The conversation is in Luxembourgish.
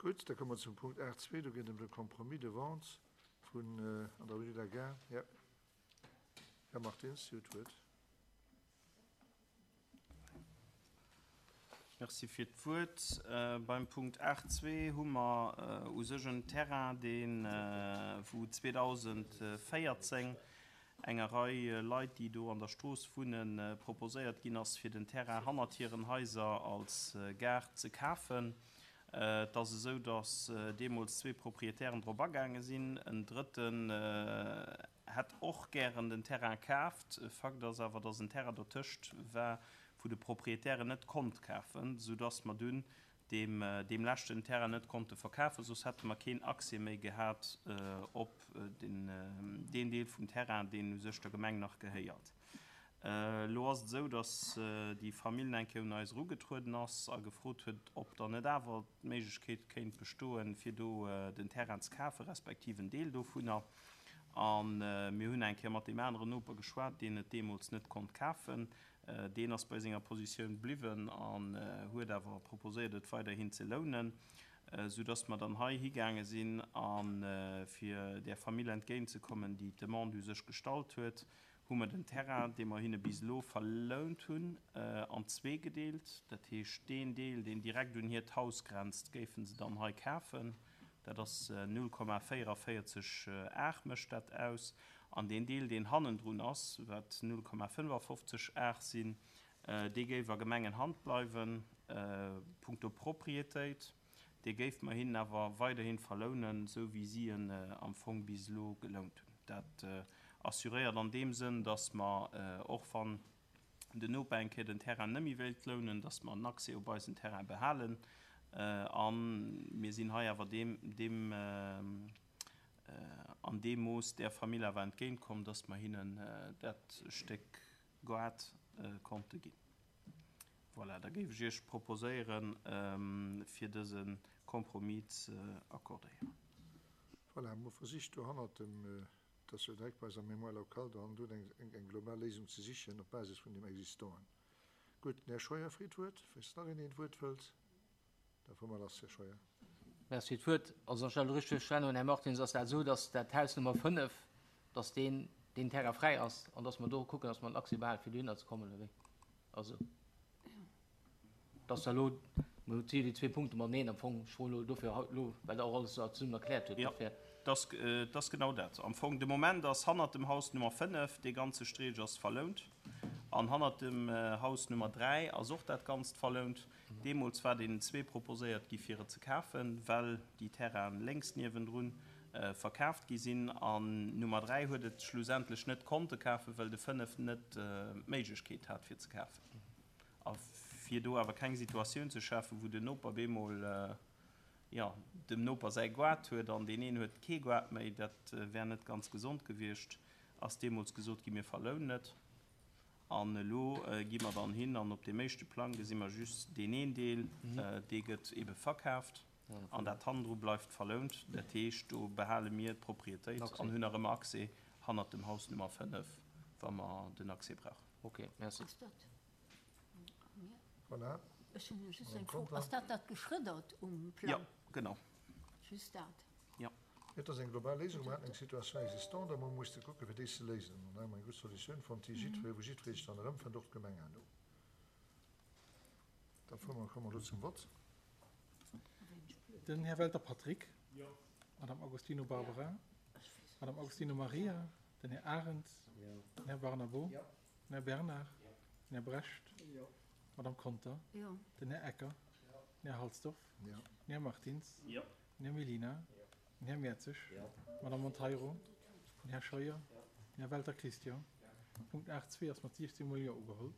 Gutt, da komme mer zum Punkt 8.2. Do geet et ëm de Compromis de vente vun an der Rue de la Gare. Ja, Här Martins, Sie hunn d'Wuert. Merci fir d'Wuert. Beim Punkt 8.2 hu mer u sech en Terrain, deen, wou 2014 enger Rei Leit, déi do an der Strooss wunnen, proposéiert ginn ass, fir den Terrain hannert hiren Haiser als Gaart ze kafen. Et ass esou, datt deemools zwee Proprietären drop agaange sinn. En drëtten hätt och gären den Terrain kaaft. Fakt ass awer, datt en Terrain dotëscht war, wou de Proprietär en net konnt kafen, soudatt mer dunn deem deem leschten Terrain net konnte verkafen, soss hätte mer keen Accès méi gehat op den deen Deel vum Terrain, deen u sech der Gemeng nach gehéiert. Elo ass et esou, datt déi Famill eng Kéier un eis erugetrueden ass a gefrot huet, ob dann net awer d'Méiglechkeet kéint bestoen, fir do den Terrain ze kafen, respektiv en Deel dovunner. A mir hunn eng Kéier mat deem aneren Noper geschwat, deen et deemools net konnt kafen. Deen ass bei senger Positioun bliwwen an huet awer proposéiert, et weiderhin ze lounen, soudatt mer dann hei higaange sinn a fir där Famill entgéintzekommen, déi d'Demande u sech gestallt huet, hu mer den Terrain, dee mer hinne bis elo verlount hunn, an zwee gedeelt. Dat heescht, deen Deel, deen direkt un hiert Haus grenzt, géife se dann hei kafen. Dat ass 0,44 Ar mécht dat aus. An deen Deel, deen hannendrun ass, wat 0,55 Ar sinn, dee géif a Gemengenhand bleiwen, punkto Proprietéit. Dee géife mer hinnen awer weiderhi verlounen, esou wéi si en am Fong bis elo gelount hunn. Dat assuréiert an deem Sënn, dass mer, och wann den Noper eng Kéier den Terrain net méi wéilt lounen, dass mer en Accès op eisen Terrain behalen. A mir sinn hei awer deem, deem, an deem Mooss där Famill awer entgéintkomm, dass mer hinnen dat Stéck Gaart konnte ginn. Voilà, da géif ech Iech proposéieren, fir dëse Compromis ze accordéieren. Voilà, mer hu versicht do hannert dem, dass wir direkt bei eiser Mémoire locale do hannendrun eng, eng global Léisung ze sichen op Basis vun deem Existanten. Gutt, den Här Scheuer freet d'Wuert. Falls nach een een d'Wuert wëllt, da fuere mer lass, Här Scheuer. Merci fir d'Wuert. Also, wann ech dat elo richteg verstanen hunn, Här Martins, ass dat esou, dass dat Haus Nummer 5, dass deen, deen Terrain fräi ass an dass mer do kucken, dass mer en Accès behalen, fir dohinner ze kommen, oder wéi? Also, dass da elo, mir hu jo déi zwee Punkte mateneen am Fong, ech froen elo dofir haut elo, well Der och alles esou zesummen erkläert hutt, Jo, dofir. et ass genau dat. Am Fong, de Moment ass hannert dem Haus Nummer 5, dee ganze Streech ass verlount. An hannert dem Haus Nummer 3 ass och dat Ganzt verlount. Deemools war deenen zwee proposéiert gi fir et ze kafen, well déi Terrainen lénks niewendrun verkaaft gi sinn. An Nummer 3 huet et schlussendlech net konnte kafen, well de 5 net d'Méiglechkeet hat fir ze kafen. A fir do awer keng Situatioun ze schafen, wou den Noper bemol, jo, dem Noper säi Goart huet an deen een huet kee Goart méi, dat wär net ganz gesond gewiescht, ass deemools gesot gi, mir verlounen et. An elo gi mer dann hin an op deem éischte Plang gesi mer just deen een Deel, dee gëtt ebe verkaaft an dat hannendru bleift verlount. Dat heescht, do behale mir d'Proprietéit an hunn nach ëmmer Accès hannert dem Haus Nummer 5, wa mer den Accès brauchen. Ok, merci. Ass dat, Voilà. Ech hunn just eng Fro, ass dat dat Geschrëddert um Plang? Jo, genau. Just dat. Jo. Et ass eng global Léisung. Mer haten eng Situation existante a mer musse kucken, fir déi ze léisen. An da hu mer eng gutt Solutioun fonnt, déi jiddweree, wou jiddweree sech dran erëmfënnt, och d'Gemeng herno. Da fuere mer, komme mer elo zum Vott. Den Här Welter Patrick. D'Madame Agostino Barbara. D'Madame Agostino Maria. Den Här Arendt. Den Här Barnabo. Den Här Bernard. Den Här Brecht. D'Madame Conter. Den Här Ecker. Den Här Halsdorf. Den Här Martins. Den Här Mellina. Den Här Mertzig. D'Madame Monteiro. Den Här Scheuer. Den Här Welter Christian. Punkt 8.2 ass mat 16 mol Jo ugeholl.